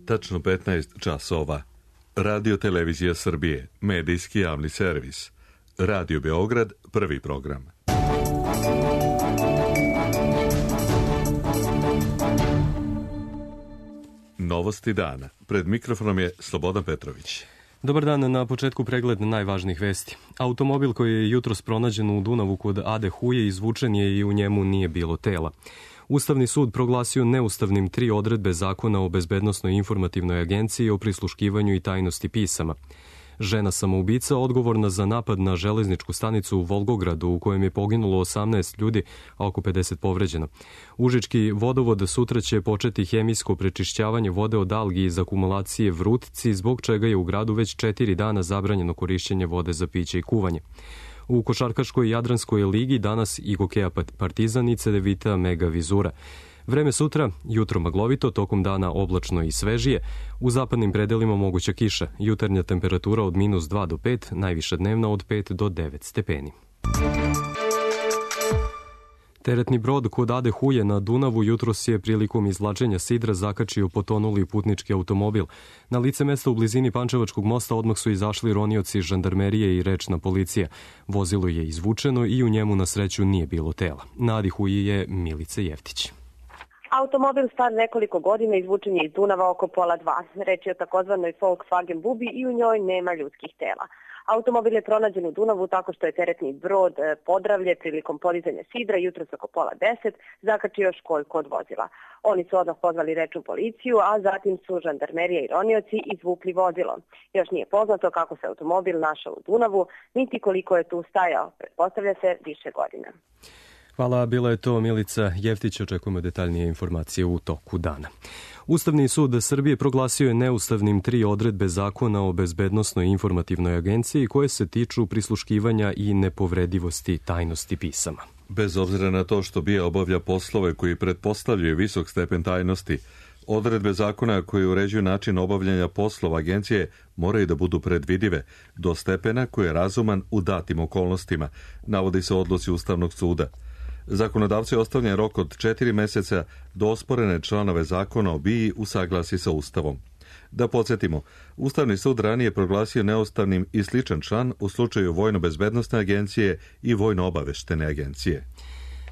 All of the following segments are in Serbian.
tačno 15 časova. Radio Televizija Srbije, medijski javni servis. Radio Beograd, prvi program. Novosti dana. Pred mikrofonom je Slobodan Petrović. Dobar dan, na početku pregled najvažnijih vesti. Automobil koji je jutros pronađen u Dunavu kod Ade Huje izvučen je i u njemu nije bilo tela. Ustavni sud proglasio neustavnim 3 odredbe Zakona o bezbednosnoj informativnoj agenciji o prisluškivanju i tajnosti pisama. Žena samoubica odgovorna za napad na železničku stanicu u Volgogradu u kojem je poginulo 18 ljudi, a oko 50 povređeno. Užički vodovod sutra će početi hemijsko prečišćavanje vode od algi iz akumulacije Vrutci, zbog čega je u gradu već 4 dana zabranjeno korišćenje vode za piće i kuvanje. U košarkaškoj Jadranskoj ligi danas i Gokeja Partizan i Cedevita Mega Vizura. Vreme sutra, jutro maglovito, tokom dana oblačno i svežije. U zapadnim predelima moguća kiša, jutarnja temperatura od -2 do 5, najviša dnevna od 5 do 9 stepeni. Teretni brod kod Ade Huje na Dunavu jutros je prilikom izvlačenja sidra zakačio potonuli putnički automobil. Na lice mesta u blizini Pančevačkog mosta odmah su izašli ronioci žandarmerije i rečna policija. Vozilo je izvučeno i u njemu na sreću nije bilo tela. Na Adi Huji je Milica Jeftić. Automobil star nekoliko godina izvučen je iz Dunava oko 1:30. Reč je o takozvanoj Volkswagen Bubi i u njoj nema ljudskih tela. Automobil je pronađen u Dunavu tako što je teretni brod Podravlje prilikom podizanja sidra jutros oko 9:30 zakačio školjku od vozila. Oni su odmah pozvali rečnu policiju, a zatim su žandarmerija i ronioci izvukli vozilo. Još nije poznato kako se automobil našao u Dunavu, niti koliko je tu stajao. Pretpostavlja se više godina. Hvala, bila je to Milica Jeftić, očekujemo detaljnije informacije u toku dana. Ustavni sud Srbije proglasio je neustavnim 3 odredbe Zakona o bezbednosnoj informativnoj agenciji koje se tiču prisluškivanja i nepovredivosti tajnosti pisama. Bez obzira na to što BIA obavlja poslove koji pretpostavljaju visok stepen tajnosti, odredbe zakona koje uređuju način obavljanja poslova agencije moraju da budu predvidive do stepena koji je razuman u datim okolnostima, navodi se u odluci Ustavnog suda. Zakonodavci ostavljen rok od 4 meseca do osporene članove zakona o BIA usaglasi sa Ustavom. Da podsjetimo, Ustavni sud ranije proglasio neustavnim i sličan član u slučaju Vojno-bezbednosne agencije i Vojno-obaveštene agencije.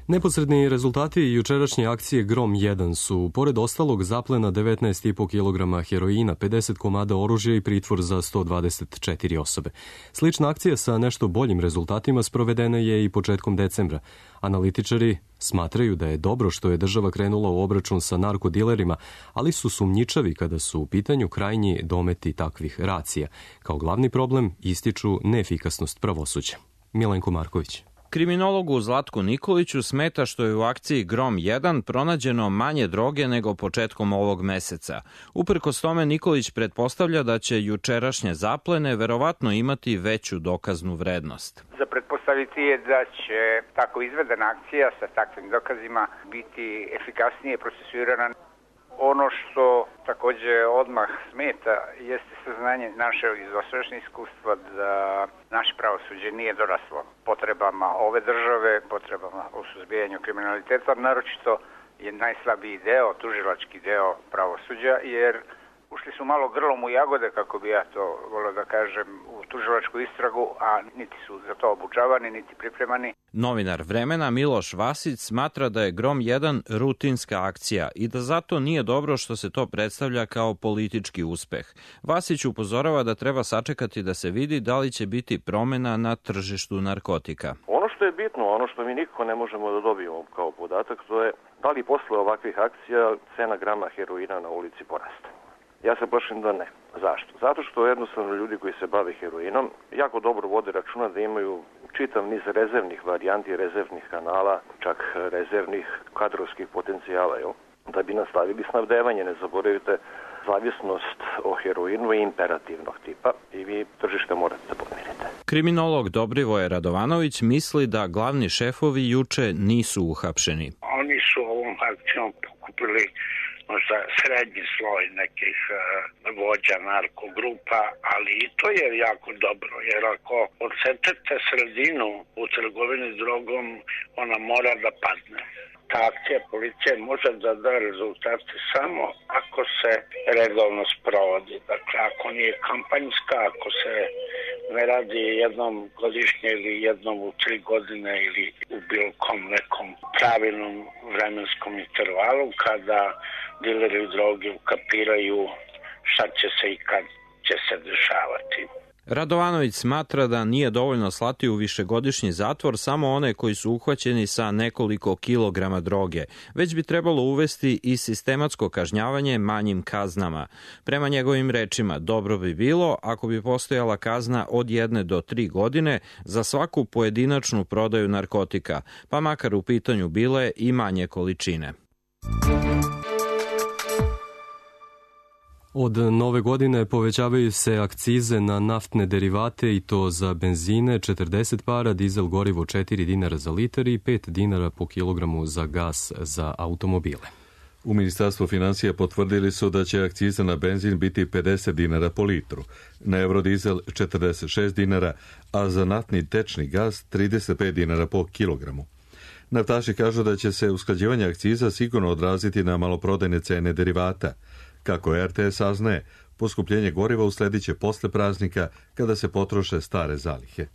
Neposredni rezultati jučerašnje akcije Grom 1 su, pored ostalog, zaplena 19,5 kg heroina, 50 komada oružja i pritvor za 124 osobe. Slična akcija sa nešto boljim rezultatima sprovedena je i početkom decembra. Analitičari smatraju da je dobro što je država krenula u obračun sa narkodilerima, ali su sumnjičavi kada su u pitanju krajnji dometi takvih racija. Kao glavni problem ističu neefikasnost pravosuđa. Milenko Marković. Kriminologu Zlatku Nikoliću smeta što je u akciji Grom 1 pronađeno manje droge nego početkom ovog meseca. Uprkos tome Nikolić pretpostavlja da će jučerašnje zaplene verovatno imati veću dokaznu vrednost. Za pretpostaviti je da će tako izvedena akcija sa takvim dokazima biti efikasnije procesuirana. Ono što takođe odmah smeta jeste saznanje naše iz dosadašnjeg iskustva da naše pravosuđe nije doraslo potrebama ove države, potrebama u suzbijanju kriminaliteta, naročito je najslabiji deo, tužilački deo pravosuđa, jer ušli su malo grlom u jagode, kako bi ja to volio da kažem, u tužilačku istragu, a niti su za to obučavani, niti pripremani. Novinar Vremena Miloš Vasić smatra da je Grom 1 rutinska akcija i da zato nije dobro što se to predstavlja kao politički uspeh. Vasić upozorava da treba sačekati da se vidi da li će biti promena na tržištu narkotika. Ono što je bitno, ono što mi nikako ne možemo da dobijemo kao podatak, to je da li posle ovakvih akcija cena grama heroina na ulici poraste. Ja se plašim da ne. Zašto? Zato što jednostavno ljudi koji se bave heroinom jako dobro vode računa da imaju čitav niz rezervnih varijanti, rezervnih kanala, čak rezervnih kadrovskih potencijala, da bi nastavili snabdevanje. Ne zaboravite, zavisnost o heroinu je imperativnog tipa i vi tržište morate da pomirite. Kriminolog Dobrivoje Radovanović misli da glavni šefovi juče nisu uhapšeni. Oni su ovom akcijom pokupili možda srednji sloj nekih vođa narkogrupa, ali i to je jako dobro, jer ako odsečete sredinu u trgovini drogom, ona mora da padne. Ta akcija policije može da da rezultate samo ako ako se redovno sprovodi. Dakle, ako nije kampanjska, ako se ne radi jednom godišnje ili jednom u 3 godine ili u bilo kom nekom pravilnom vremenskom intervalu, kada dileri droge ukapiraju šta će se i kad će se dešavati. Radovanović smatra da nije dovoljno slati u višegodišnji zatvor samo one koji su uhvaćeni sa nekoliko kilograma droge, već bi trebalo uvesti i sistematsko kažnjavanje manjim kaznama. Prema njegovim rečima, dobro bi bilo ako bi postojala kazna od 1 do 3 godine za svaku pojedinačnu prodaju narkotika, pa makar u pitanju bile i manje količine. Od nove godine povećavaju se akcize na naftne derivate i to za benzine 40 para, dizel gorivo 4 dinara za litar i 5 dinara po kilogramu za gas za automobile. U Ministarstvu finansija potvrdili su da će akciza na benzin biti 50 dinara po litru, na eurodizel 46 dinara, a za naftni tečni gas 35 dinara po kilogramu. Naftaši kažu da će se usklađivanje akciza sigurno odraziti na maloprodajne cene derivata. Kako RTS saznaje, poskupljenje goriva uslediće posle praznika kada se potroše stare zalihe.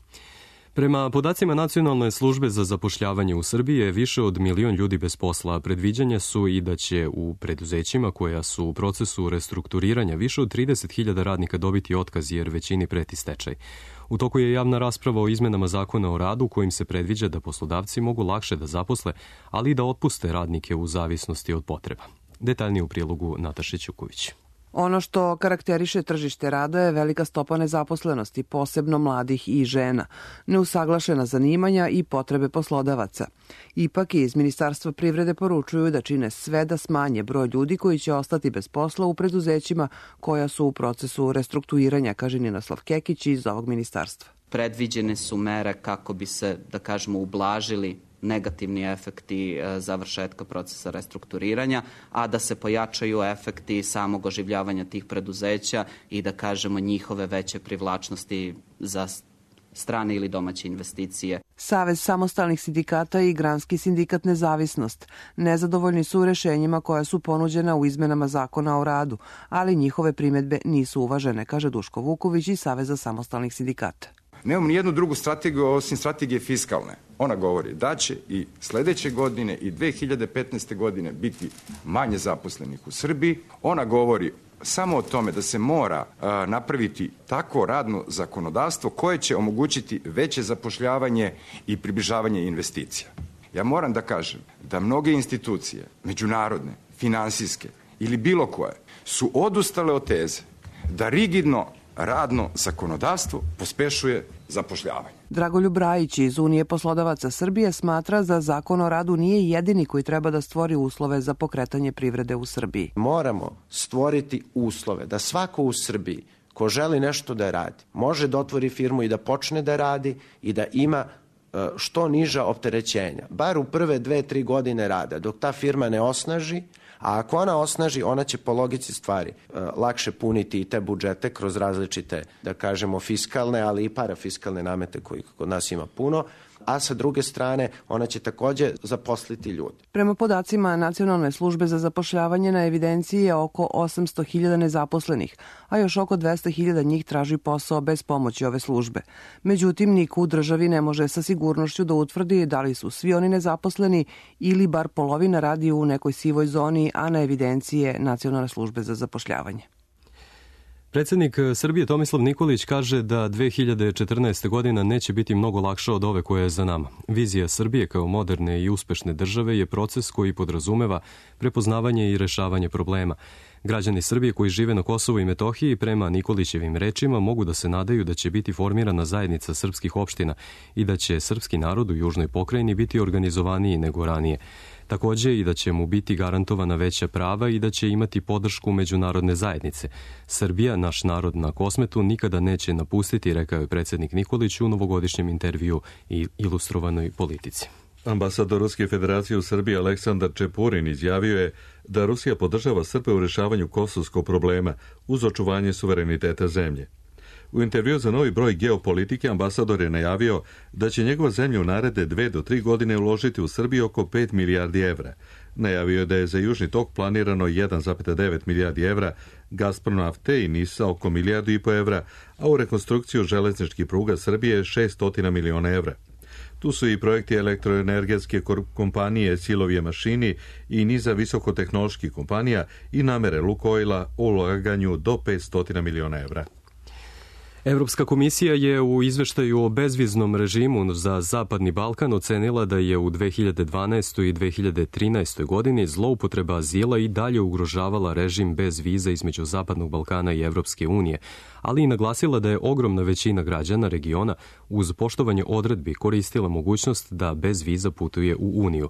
Prema podacima Nacionalne službe za zapošljavanje u Srbiji je više od 1 milion ljudi bez posla. Predviđanja su i da će u preduzećima koja su u procesu restrukturiranja više od 30.000 radnika dobiti otkaz jer većini preti stečaj. U toku je javna rasprava o izmenama zakona o radu kojim se predviđa da poslodavci mogu lakše da zaposle, ali i da otpuste radnike u zavisnosti od potreba. Detaljnije u prilogu Nataše Ćuković. Ono što karakteriše tržište rada je velika stopa nezaposlenosti, posebno mladih i žena, neusaglašena zanimanja i potrebe poslodavaca. Ipak iz Ministarstva privrede poručuju da čine sve da smanje broj ljudi koji će ostati bez posla u preduzećima koja su u procesu restrukturiranja, kaže Ninoslav Kekić iz ovog ministarstva. Predviđene su mere kako bi se, da kažemo, ublažili negativni efekti završetka procesa restrukturiranja, a da se pojačaju efekti samog oživljavanja tih preduzeća i da kažemo njihove veće privlačnosti za strane ili domaće investicije. Savez samostalnih sindikata i Granski sindikat Nezavisnost nezadovoljni su rešenjima koja su ponuđena u izmenama zakona o radu, ali njihove primedbe nisu uvažene, kaže Duško Vuković iz Saveza samostalnih sindikata. Nemamo ni jednu drugu strategiju osim strategije fiskalne. Ona govori da će i sledeće godine i 2015. godine biti manje zaposlenih u Srbiji. Ona govori samo o tome da se mora napraviti takvo radno zakonodavstvo koje će omogućiti veće zapošljavanje i približavanje investicija. Ja moram da kažem da mnoge institucije, međunarodne, finansijske ili bilo koje, su odustale od teze da rigidno radno zakonodavstvo pospešuje zapošljavanje. Dragoljub Brajić iz Unije poslodavaca Srbije smatra da zakon o radu nije jedini koji treba da stvori uslove za pokretanje privrede u Srbiji. Moramo stvoriti uslove da svako u Srbiji ko želi nešto da radi, može da otvori firmu i da počne da radi i da ima što niža opterećenja. Bar u prve 2-3 godine rada, dok ta firma ne osnaži, a ako ona osnaži, ona će po logici stvari lakše puniti i te budžete kroz različite, da kažemo, fiskalne, ali i parafiskalne namete koji kod nas ima puno, a sa druge strane ona će takođe zaposliti ljude. Prema podacima Nacionalne službe za zapošljavanje na evidenciji je oko 800.000 nezaposlenih, a još oko 200.000 njih traži posao bez pomoći ove službe. Međutim, niko u državi ne može sa sigurnošću da utvrdi da li su svi oni nezaposleni ili bar polovina radi u nekoj sivoj zoni, a na evidenciji je Nacionalne službe za zapošljavanje. Predsednik Srbije Tomislav Nikolić kaže da 2014. godina neće biti mnogo lakša od ove koja je za nama. Vizija Srbije kao moderne i uspešne države je proces koji podrazumeva prepoznavanje i rešavanje problema. Građani Srbije koji žive na Kosovu i Metohiji prema Nikolićevim rečima mogu da se nadaju da će biti formirana zajednica srpskih opština i da će srpski narod u južnoj pokrajini biti organizovaniji nego ranije. Takođe i da će mu biti garantovana veća prava i da će imati podršku međunarodne zajednice. Srbija, naš narod na Kosmetu, nikada neće napustiti, rekao je predsednik Nikolić u novogodišnjem intervju i ilustrovanoj politici. Ambasador Ruske federacije u Srbiji Aleksandar Čepurin izjavio je da Rusija podržava Srbe u rešavanju kosovskog problema uz očuvanje suvereniteta zemlje. U intervju za novi broj Geopolitike ambasador je najavio da će njegova zemlja u naredne 2 do 3 godine uložiti u Srbiju oko 5 milijardi evra. Najavio je da je za Južni tok planirano 1,9 milijardi evra, Gazprom nafte i NIS oko 1,5 milijardu evra, a u rekonstrukciju železničkih pruga Srbije 600 miliona evra. Tu su i projekti elektroenergetske kompanije Silovije mašini i niza visokotehnoloških kompanija i namere Lukoila o ulaganju do 500 miliona evra. Evropska komisija je u izveštaju o bezviznom režimu za Zapadni Balkan ocenila da je u 2012. i 2013. godini zloupotreba azila i dalje ugrožavala režim bez viza između Zapadnog Balkana i Evropske unije, ali i naglasila da je ogromna većina građana regiona uz poštovanje odredbi koristila mogućnost da bez viza putuje u Uniju.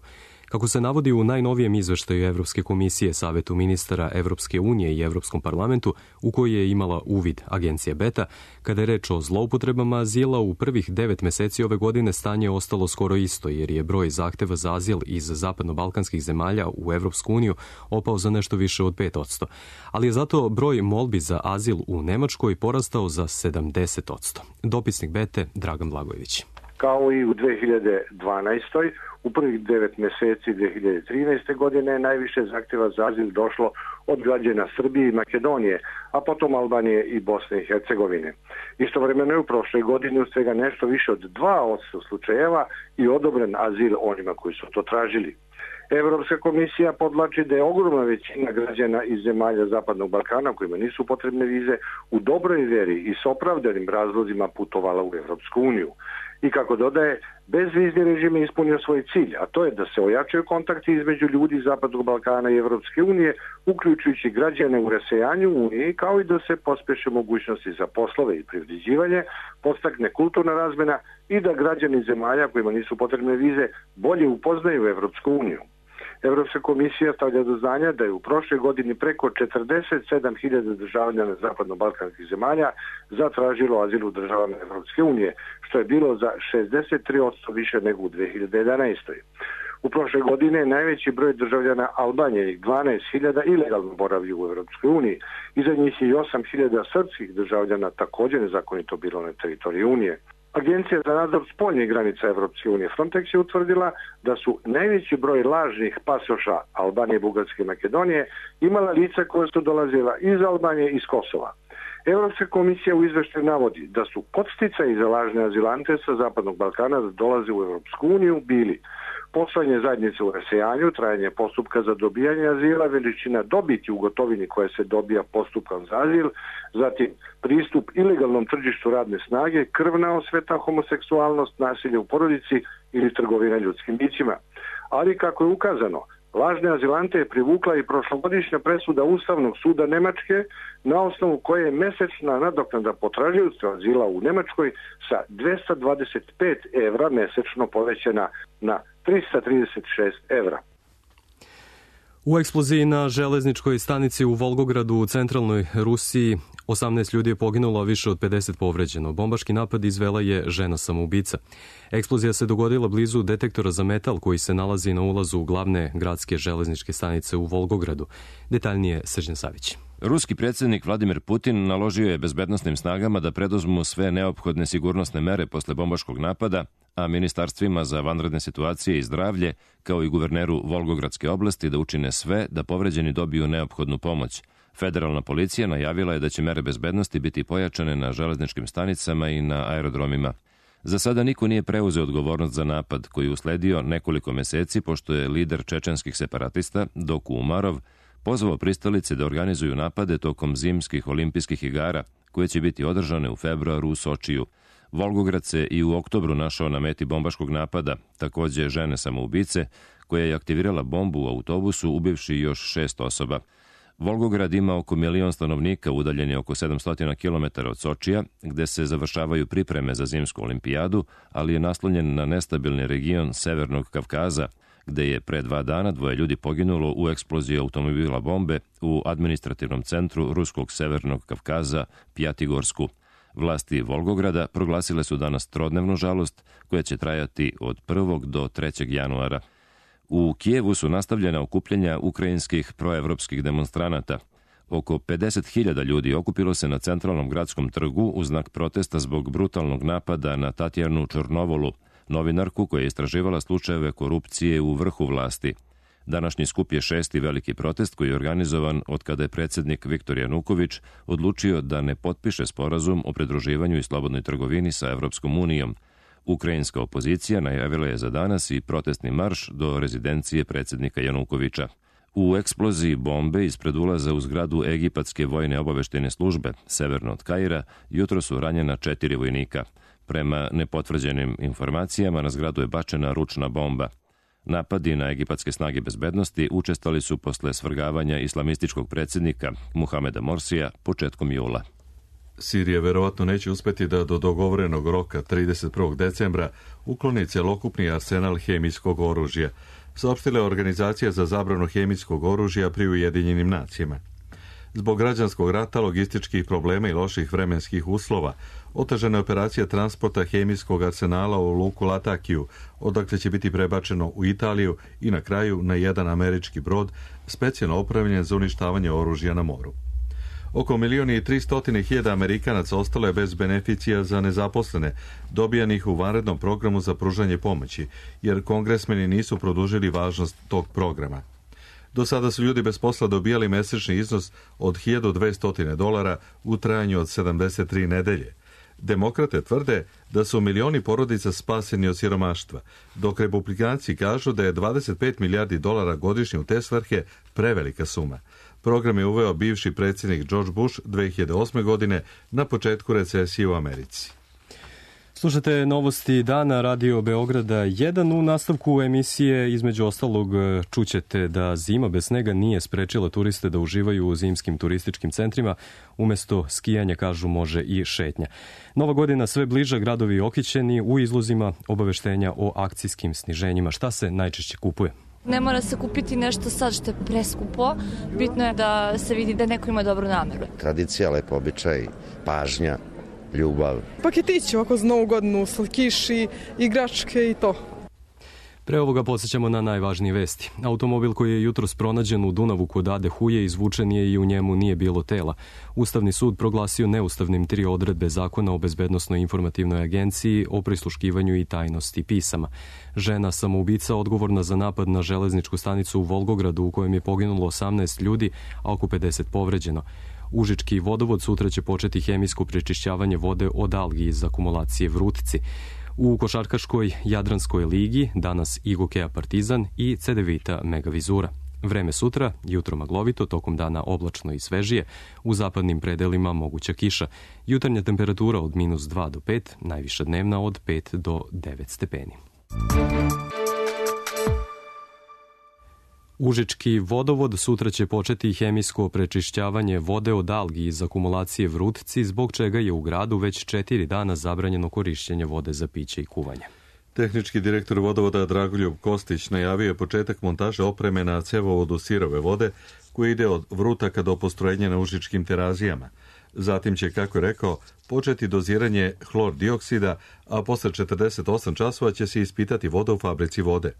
Kako se navodi u najnovijem izveštaju Evropske komisije Savetu ministara Evropske unije i Evropskom parlamentu, u koji je imala uvid agencija Beta, kada je reč o zloupotrebama azila, u prvih 9 meseci ove godine stanje je ostalo skoro isto, jer je broj zahteva za azil iz zapadno-balkanskih zemalja u Evropsku uniju opao za nešto više od 5%. Ali je zato broj molbi za azil u Nemačkoj porastao za 70%. Dopisnik Bete Dragan Blagojević. Kao i u 2012. u prvih 9 meseci 2013. godine najviše zahtjeva za azil došlo od građana Srbije i Makedonije, a potom Albanije i Bosne i Hercegovine. Istovremeno je u prošloj godini u svega nešto više od 2% slučajeva i odobren azil onima koji su to tražili. Evropska komisija podvlači da je ogromna većina građana iz zemalja Zapadnog Balkana kojima nisu potrebne vize u dobroj vjeri i s opravdanim razlozima putovala u Evropsku uniju. I kako dodaje, bezvizni režim je ispunio svoj cilj, a to je da se ojačaju kontakti između ljudi Zapadnog Balkana i Evropske unije, uključujući građane u rasejanju Unije, kao i da se pospeše mogućnosti za poslove i privređivanje, podstakne kulturna razmena i da građani zemalja kojima nisu potrebne vize bolje upoznaju Evropsku uniju. Evropska komisija stavlja do znanja da je u prošloj godini preko 47.000 državljana zapadno-balkanskih zemalja zatražilo azil u državama Evropske unije, što je bilo za 63% više nego u 2011. U prošle godine najveći broj državljana Albanije i 12.000 ilegalno boravlju u Evropskoj uniji. Iza njih je i 8.000 srpskih državljana također nezakonito bilo na teritoriji Unije. Agencija za nadzor spoljnih granica Evropske unije Frontex je utvrdila da su najveći broj lažnih pasoša Albanije, Bugarske i Makedonije imala lica koja su dolazila iz Albanije i iz Kosova. Evropska komisija u izveštaju navodi da su podsticaji za lažne azilante sa Zapadnog Balkana da dolaze u Evropsku uniju bili poslanje zajednice u rasejanju, trajanje postupka za dobijanje azila, veličina dobiti u gotovini koja se dobija postupkom za azil, zatim pristup ilegalnom tržištu radne snage, krvna osveta, homoseksualnost, nasilje u porodici ili trgovina ljudskim bićima. Ali kako je ukazano, lažne azilante je privukla i prošlogodišnja presuda Ustavnog suda Nemačke, na osnovu koje je mesečna nadoknada potražioca azila u Nemačkoj sa 225 evra mesečno povećana na 336 evra. U eksploziji na železničkoj stanici u Volgogradu u centralnoj Rusiji 18 ljudi je poginulo, a više od 50 povređeno. Bombaški napad izvela je žena samoubica. Eksplozija se dogodila blizu detektora za metal koji se nalazi na ulazu glavne gradske železničke stanice u Volgogradu. Detaljnije Srđan Savić. Ruski predsjednik Vladimir Putin naložio je bezbednosnim snagama da preduzmu sve neophodne sigurnosne mere posle bombaškog napada, a ministarstvima za vanredne situacije i zdravlje, kao i guverneru Volgogradske oblasti da učine sve da povređeni dobiju neophodnu pomoć. Federalna policija najavila je da će mere bezbednosti biti pojačane na železničkim stanicama i na aerodromima. Za sada niko nije preuzeo odgovornost za napad koji je usledio nekoliko meseci pošto je lider čečenskih separatista Doku Umarov pozvao pristalice da organizuju napade tokom zimskih olimpijskih igara koje će biti održane u februaru u Sočiju. Volgograd se i u oktobru našao na meti bombaškog napada, takođe žene samoubice, koja je aktivirala bombu u autobusu ubivši još 6 osoba. Volgograd ima oko 1 milion stanovnika, udaljen je oko 700 km od Sočija, gde se završavaju pripreme za zimsku olimpijadu, ali je naslonjen na nestabilni region Severnog Kavkaza, gde je pre 2 dana 2 ljudi poginulo u eksploziji automobila bombe u administrativnom centru Ruskog Severnog Kavkaza, Pjatigorsku. Vlasti Volgograda proglasile su danas trodnevnu žalost koja će trajati od 1. do 3. januara. U Kijevu su nastavljena okupljenja ukrajinskih proevropskih demonstranata. Oko 50.000 ljudi okupilo se na centralnom gradskom trgu u znak protesta zbog brutalnog napada na Tatjanu Čornovolu, novinarku koja je istraživala slučajeve korupcije u vrhu vlasti. Današnji skup je 6. veliki protest koji je organizovan od kada je predsjednik Viktor Januković odlučio da ne potpiše sporazum o pridruživanju i slobodnoj trgovini sa Evropskom unijom. Ukrajinska opozicija najavila je za danas i protestni marš do rezidencije predsjednika Janukovića. U eksploziji bombe ispred ulaza u zgradu Egipatske vojne obaveštene službe, severno od Kaira, jutro su ranjena 4 vojnika. Prema nepotvrđenim informacijama, na zgradu je bačena ručna bomba. Napadi na egipatske snage bezbednosti učestali su posle svrgavanja islamističkog predsjednika Muhameda Morsija početkom jula. Sirija verovatno neće uspeti da do dogovorenog roka 31. decembra ukloni celokupni arsenal hemijskog oružja, saopštila je Organizacija za zabranu hemijskog oružja pri Ujedinjenim nacijama. Zbog građanskog rata, logističkih problema i loših vremenskih uslova, otežana je operacija transporta hemijskog arsenala u luku Latakiju, odakle će biti prebačeno u Italiju i na kraju na jedan američki brod, specijalno opremljen za uništavanje oružja na moru. Oko 1.300.000 Amerikanaca ostalo je bez beneficija za nezaposlene, dobijanih u vanrednom programu za pružanje pomoći, jer kongresmeni nisu produžili važnost tog programa. Do sada su ljudi bez posla dobijali mesečni iznos od $1.200 u trajanju od 73 nedelje. Demokrate tvrde da su milioni porodica spaseni od siromaštva, dok republikanci kažu da je $25 milijardi godišnje u te svrhe prevelika suma. Program je uveo bivši predsjednik George Bush 2008. godine na početku recesije u Americi. Slušate novosti dana Radio Beograda 1. U nastavku emisije između ostalog čućete da zima bez snega nije sprečila turiste da uživaju u zimskim turističkim centrima. Umesto skijanja, kažu, može i šetnja. Nova godina sve bliža, gradovi okićeni, u izlozima obaveštenja o akcijskim sniženjima. Šta se najčešće kupuje? Ne mora se kupiti nešto sad što je preskupo. Bitno je da se vidi da neko ima dobru nameru. Tradicija, lepo običaj, pažnja, ljubav. Paketići ovako za Novu godinu, slatkiši, igračke i to. Pre ovoga podsjećamo na najvažnije vesti. Automobil koji je jutros pronađen u Dunavu kod Ade Huje izvučen je i u njemu nije bilo tela. Ustavni sud proglasio neustavnim 3 odredbe Zakona o bezbednosnoj informativnoj agenciji o prisluškivanju i tajnosti pisama. Žena samoubica odgovorna za napad na železničku stanicu u Volgogradu u kojem je poginulo 18 ljudi, a oko 50 povređeno. Užički vodovod sutra će početi hemijsko prečišćavanje vode od algi iz akumulacije Vrutci. U košarkaškoj Jadranskoj ligi danas Igokea Partizan i Cedevita Megavizura. Vreme sutra, jutro maglovito, tokom dana oblačno i svežije, u zapadnim predelima moguća kiša. Jutarnja temperatura od -2 do 5, najviša dnevna od 5 do 9 stepeni. Užički vodovod sutra će početi hemijsko prečišćavanje vode od algi iz akumulacije Vrutci, zbog čega je u gradu već 4 dana zabranjeno korišćenje vode za piće i kuvanje. Tehnički direktor vodovoda Dragoljub Kostić najavio je početak montaže opreme na cevovodu sirove vode koji ide od Vrutaka do postrojenja na Užičkim terazijama. Zatim će, kako je rekao, početi doziranje hlor dioksida, a posle 48 časova će se ispitati voda u fabrici vode.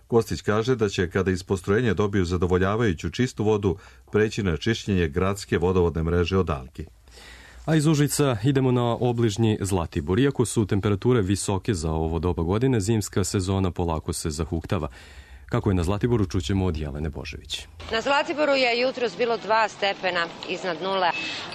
Kostić kaže da će, kada iz postrojenja dobiju zadovoljavajuću čistu vodu, preći na čišćenje gradske vodovodne mreže od algi. A iz Užica idemo na obližnji Zlatibor. Iako su temperature visoke za ovo doba godine, zimska sezona polako se zahuktava. Kako je na Zlatiboru, čućemo od Jelene Božević. Na Zlatiboru je jutros bilo 2 stepena iznad nule.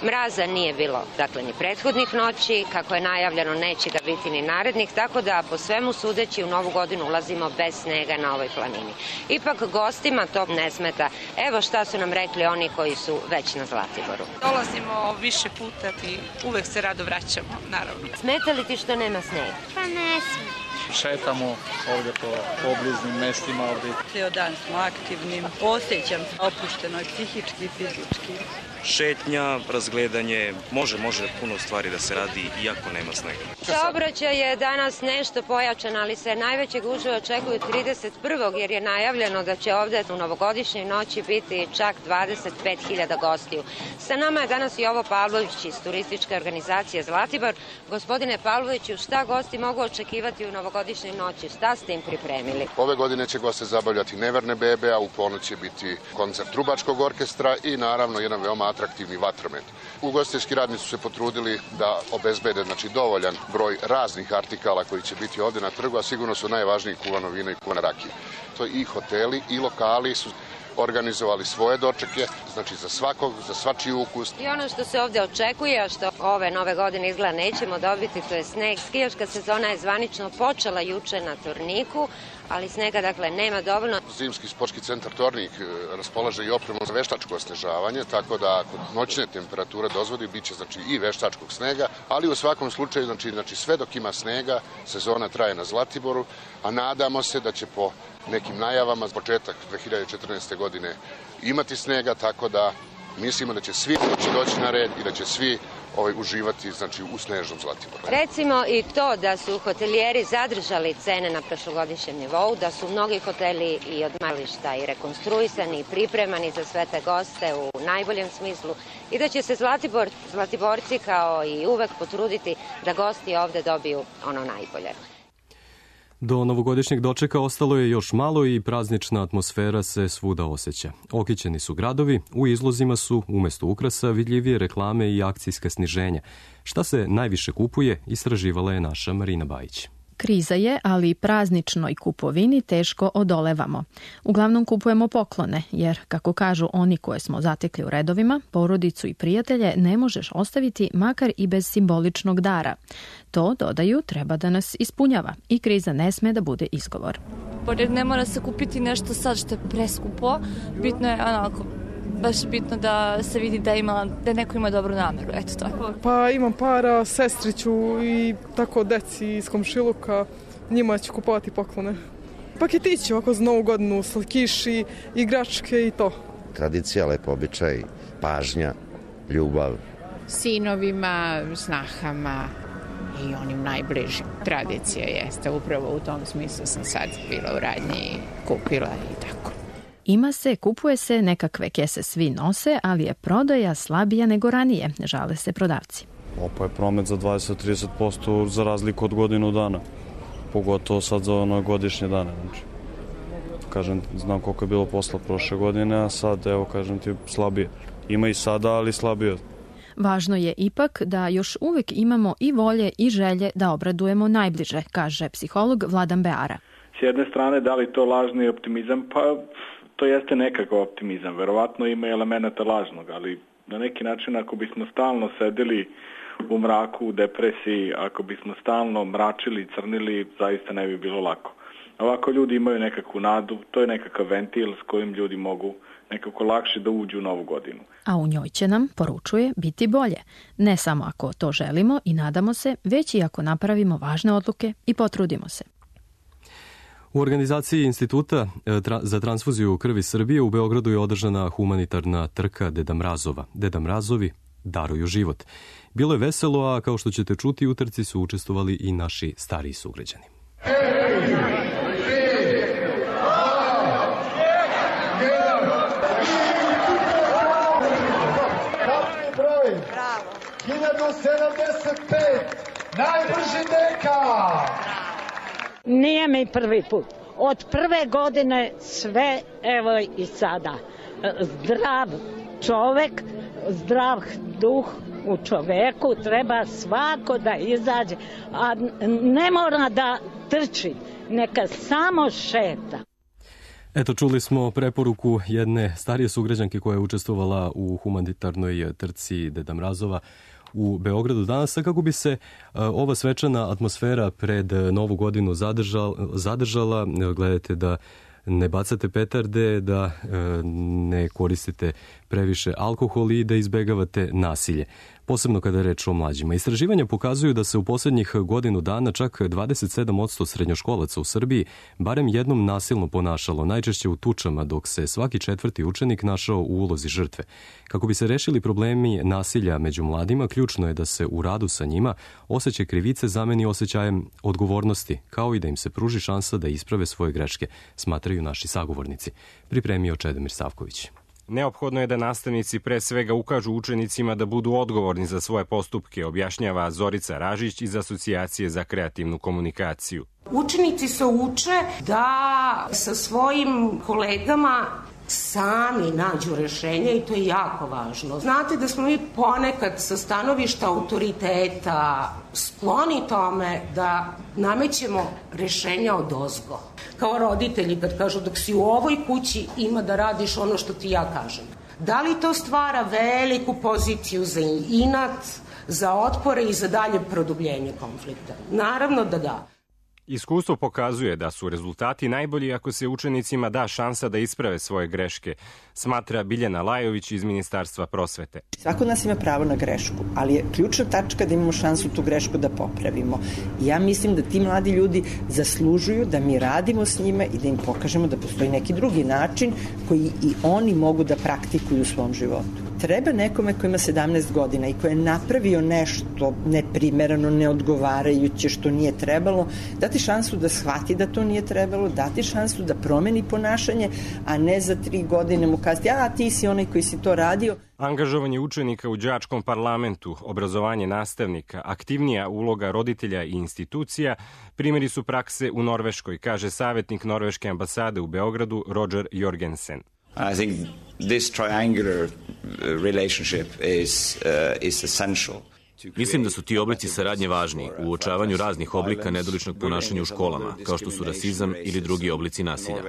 Mraza nije bilo, dakle, ni prethodnih noći. Kako je najavljeno, neće ga biti ni narednih, tako da po svemu sudeći u novu godinu ulazimo bez snega na ovoj planini. Ipak gostima to ne smeta. Evo šta su nam rekli oni koji su već na Zlatiboru. Dolazimo više puta i uvek se rado vraćamo, naravno. Smeta li ti što nema snega? Pa ne smeta. Šetamo ovdje po obliznim mestima ovdje. Cijel dan smo aktivni, osjećam se opušteno i psihički i fizički. Šetnja, razgledanje, može puno stvari da se radi iako nema snega. Saobraćaj je danas nešto pojačan, ali se najveće gužve očekuju 31. jer je najavljeno da će ovdje u novogodišnjoj noći biti čak 25.000 gostiju. Sa nama je danas Jovo Pavlović iz turističke organizacije Zlatibor. Gospodine Pavloviću, šta gosti mogu očekivati u novogodišnjoj noći? Šta ste im pripremili? Ove godine će goste zabavljati Neverne bebe, a u ponoć će biti koncert trubačkog orkestra i naravno jedan veoma atraktivni vatromet. Ugostiteljski radnici su se potrudili da obezbede dovoljan broj raznih artikala koji će biti ovde na trgu, a sigurno su najvažniji kuvano vino i kuvana rakija. To i hoteli i lokali su organizovali svoje dočeke, za svakog, za svačiji ukus. I ono što se ovde očekuje, a što ove nove godine izgleda nećemo dobiti, to je sneg. Skijaška sezona je zvanično počela juče na Torniku, ali snega nema dovoljno. Zimski sportski centar Tornik raspolaže i opremu za veštačko osnežavanje, tako da ako noćne temperature dozvoli, bit će i veštačkog snega, ali u svakom slučaju, sve dok ima snega, sezona traje na Zlatiboru, a nadamo se da će po nekim najavama početak 2014. godine imati snega, tako da mislimo da će svi doći na red i da će svi uživati u snežnom Zlatiboru. Recimo i to da su hotelijeri zadržali cene na prošlogodišnjem nivou, da su mnogi hoteli i odmarališta i rekonstruisani i pripremani za sve te goste u najboljem smislu i da će se Zlatiborci kao i uvek potruditi da gosti ovde dobiju ono najbolje. Do novogodišnjeg dočeka ostalo je još malo i praznična atmosfera se svuda osjeća. Okićeni su gradovi, u izlozima su umesto ukrasa vidljivije reklame i akcijska sniženja. Šta se najviše kupuje, istraživala je naša Marina Bajić. Kriza je, ali prazničnoj kupovini teško odolevamo. Uglavnom kupujemo poklone, jer, kako kažu oni koje smo zatekli u redovima, porodicu i prijatelje ne možeš ostaviti makar i bez simboličnog dara. To, dodaju, treba da nas ispunjava i kriza ne sme da bude izgovor. Pored ne mora se kupiti nešto sad što je preskupo, bitno je baš bitno da se vidi da neko ima dobru nameru, eto tako. Pa imam para, sestriću i tako deci iz komšiluka, njima ću kupovati poklone. Paketići ovako za Novu godinu, slatkiši, igračke i to. Tradicija, lepo običaj, pažnja, ljubav. Sinovima, snahama i onim najbližim. Tradicija jeste, upravo u tom smislu sam sad bila u radnji i kupila i tako. Ima se, kupuje se, nekakve kese svi nose, ali je prodaja slabija nego ranije, žale se prodavci. Opa je promet za 20-30% za razliku od godinu dana, pogotovo sad za godišnje dane. Kažem, znam koliko je bilo posla prošle godine, a sad, evo, kažem ti, slabije. Ima i sada, ali slabije. Važno je ipak da još uvek imamo i volje i želje da obradujemo najbliže, kaže psiholog Vladan Beara. S jedne strane, da li to lažni optimizam? Pa to jeste nekakav optimizam. Verovatno ima elemenata lažnog, ali na neki način ako bismo stalno sedeli u mraku, u depresiji, ako bismo stalno mračili, crnili, zaista ne bi bilo lako. Ovako ljudi imaju nekakvu nadu, to je nekakav ventil s kojim ljudi mogu nekako lakše da uđu u novu godinu. A u njoj će nam, poručuje, biti bolje. Ne samo ako to želimo i nadamo se, već i ako napravimo važne odluke i potrudimo se. U organizaciji Instituta za transfuziju krvi Srbije u Beogradu je održana humanitarna trka Deda Mrazova. Deda Mrazovi daruju život. Bilo je veselo, a kao što ćete čuti, u trci su učestvovali i naši stariji sugrađani. Bravo. 1075, najbrži deka. Nije mi prvi put. Od prve godine sve, evo i sada. Zdrav čovek, zdrav duh u čoveku, treba svako da izađe, a ne mora da trči, neka samo šeta. Eto, čuli smo preporuku jedne starije sugrađanke koja je učestvovala u humanitarnoj trci Deda Mrazova u Beogradu danas, kako bi se ova svečana atmosfera pred Novu godinu zadržala. Gledajte da ne bacate petarde, da ne koristite previše alkohol i da izbegavate nasilje, posebno kada je reč o mlađima. Istraživanja pokazuju da se u posljednjih godinu dana čak 27% srednjoškolaca u Srbiji barem jednom nasilno ponašalo, najčešće u tučama, dok se svaki četvrti učenik našao u ulozi žrtve. Kako bi se rešili problemi nasilja među mladima, ključno je da se u radu sa njima osjećaj krivice zameni osjećajem odgovornosti, kao i da im se pruži šansa da isprave svoje greške, smatraju naši sagovornici. Pripremio Čedomir Savković. Neophodno je da nastavnici pre svega ukažu učenicima da budu odgovorni za svoje postupke, objašnjava Zorica Ražić iz Asocijacije za kreativnu komunikaciju. Učenici se uče da sa svojim kolegama sami nađu rešenje i to je jako važno. Znate da smo mi ponekad sa stanovišta autoriteta skloni tome da namećemo rešenja odozgo. Kao roditelji kad kažu dok si u ovoj kući ima da radiš ono što ti ja kažem. Da li to stvara veliku poziciju za inat, za otpore i za dalje produbljenje konflikta? Naravno da da. Iskustvo pokazuje da su rezultati najbolji ako se učenicima da šansa da isprave svoje greške, smatra Biljana Lajović iz Ministarstva prosvete. Svako od nas ima pravo na grešku, ali je ključna tačka da imamo šansu tu grešku da popravimo. I ja mislim da ti mladi ljudi zaslužuju da mi radimo s njima i da im pokažemo da postoji neki drugi način koji i oni mogu da praktikuju u svom životu. Treba nekome ko ima 17 godina i ko je napravio nešto neprimereno, neodgovarajuće, što nije trebalo, dati šansu da shvati da to nije trebalo, dati šansu da promeni ponašanje, a ne za 3 godine mu kazati, ti si onaj koji si to radio. Angažovanje učenika u đačkom parlamentu, obrazovanje nastavnika, aktivnija uloga roditelja i institucija, primjeri su prakse u Norveškoj, kaže savjetnik Norveške ambasade u Beogradu Roger Jorgensen. I think this triangular relationship is essential. Mislim da su ti oblici saradnje važni u uočavanju raznih oblika nedoličnog ponašanja u školama, kao što su rasizam ili drugi oblici nasilja.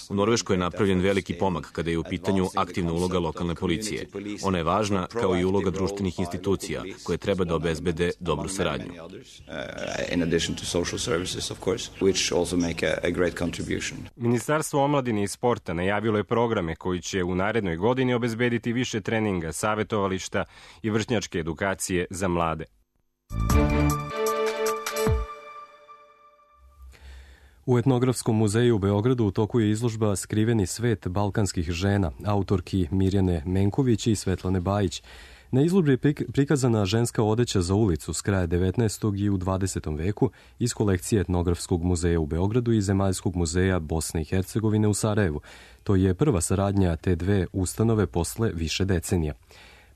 U Norveškoj je napravljen veliki pomak kada je u pitanju aktivna uloga lokalne policije. Ona je važna kao i uloga društvenih institucija koje treba da obezbede dobru saradnju. Ministarstvo omladine i sporta najavilo je programe koji će u narednoj godini obezbediti više treninga, savetovališta i vršnjačke edukacije za mlade. U Etnografskom muzeju u Beogradu u toku je izložba Skriveni svet balkanskih žena, autorki Mirjane Menković i Svetlane Bajić. Na izložbi je prikazana ženska odeća za ulicu s kraja 19. i u 20. veku iz kolekcije Etnografskog muzeja u Beogradu i Zemaljskog muzeja Bosne i Hercegovine u Sarajevu. To je prva saradnja te dve ustanove posle više decenija.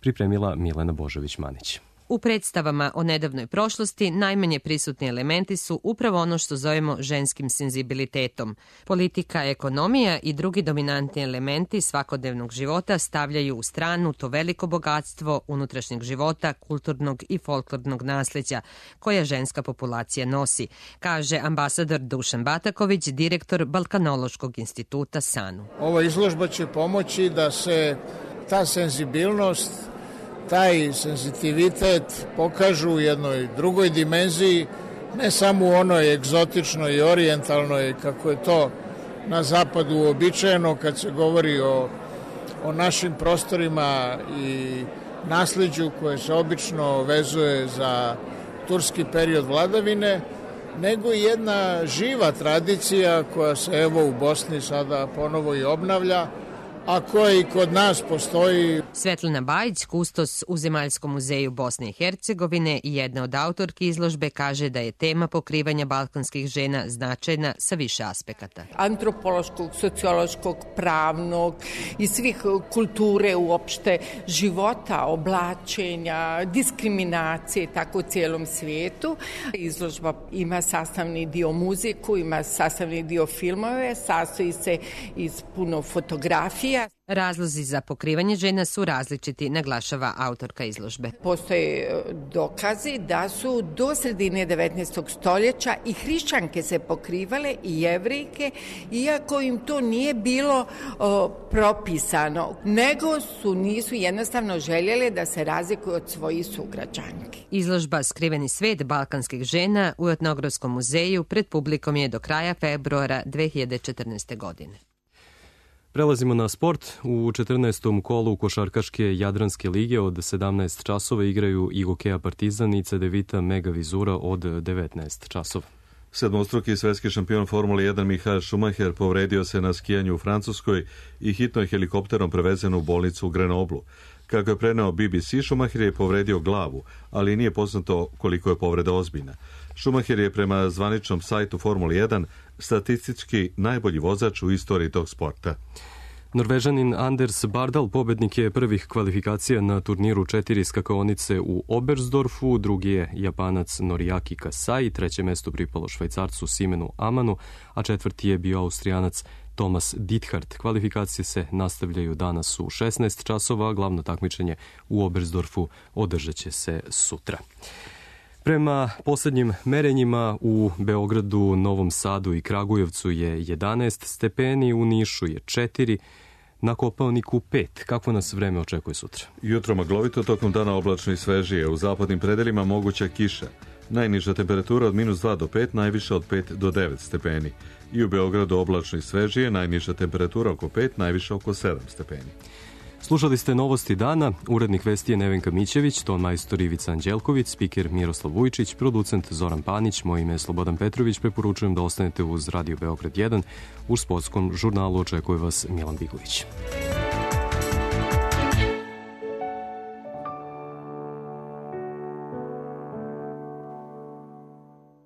Pripremila Milena Božović-Manić. U predstavama o nedavnoj prošlosti najmanje prisutni elementi su upravo ono što zovemo ženskim senzibilitetom. Politika, ekonomija i drugi dominantni elementi svakodnevnog života stavljaju u stranu to veliko bogatstvo unutrašnjeg života, kulturnog i folklornog nasleđa koja ženska populacija nosi, kaže ambasador Dušan Bataković, direktor Balkanološkog instituta SANU. Ova izložba će pomoći da se ta senzibilnost, taj senzitivitet pokažu u jednoj drugoj dimenziji, ne samo u onoj egzotičnoj i orijentalnoj, kako je to na zapadu uobičajeno kad se govori o našim prostorima i nasleđu koje se obično vezuje za turski period vladavine, nego i jedna živa tradicija koja se evo u Bosni sada ponovo i obnavlja, a koja i kod nas postoji. Svetlana Bajić, kustos u Zemaljskom muzeju Bosne i Hercegovine i jedna od autorki izložbe, kaže da je tema pokrivanja balkanskih žena značajna sa više aspekata. Antropološkog, sociološkog, pravnog i svih kulture uopšte, života, oblačenja, diskriminacije, tako u cijelom svijetu. Izložba ima sastavni dio muziku, ima sastavni dio filmove, sastoji se iz puno fotografija. Razlozi za pokrivanje žena su različiti, naglašava autorka izložbe. Postoje dokazi da su do sredine 19. stoljeća i hrišćanke se pokrivale i jevrejke, iako im to nije bilo propisano, nego nisu jednostavno željele da se razlikuju od svojih sugrađanki. Izložba Skriveni svet balkanskih žena u Etnografskom muzeju pred publikom je do kraja februara 2014. godine. Prelazimo na sport. U 14. kolu košarkaške Jadranske lige od 17 časova igraju i Gokeja Partizan i Cedevita Mega Vizura od 19 časova. Sedmostruki svetski šampion Formule 1 Michael Schumacher povredio se na skijanju u Francuskoj i hitno je helikopterom prevezen u bolnicu u Grenoblu. Kako je preneo BBC, Schumacher je povredio glavu, ali nije poznato koliko je povreda ozbiljna. Schumacher je prema zvaničnom sajtu Formule 1 statistički najbolji vozač u istoriji tog sporta. Norvežanin Anders Bardal pobednik je prvih kvalifikacija na turniru 4 skakaonice u Oberstdorfu, drugi je Japanac Noriaki Kasai, treće mesto pripalo Švajcarcu Simenu Amanu, a četvrti je bio Austrijanac Thomas Dithart. Kvalifikacije se nastavljaju danas u 16 časova, glavno takmičenje u Oberstdorfu održat će se sutra. Prema poslednjim merenjima u Beogradu, Novom Sadu i Kragujevcu je 11 stepeni, u Nišu je 4, na Kopaoniku 5. Kako nas vreme očekuje sutra? Jutro maglovito, tokom dana oblačno i svežije. U zapadnim predelima moguća kiša. Najniža temperatura od -2 do 5, najviša od 5 do 9 stepeni. I u Beogradu oblačno i svežije, najniža temperatura oko 5, najviša oko 7 stepeni. Slušali ste Novosti dana, urednik vesti je Nevenka Mićević, ton majstor Ivica Anđelković, spiker Miroslav Vujčić, producent Zoran Panić, moje ime je Slobodan Petrović, preporučujem da ostanete uz Radio Beograd 1, u sportskom žurnalu očekuje vas Milan Bigović.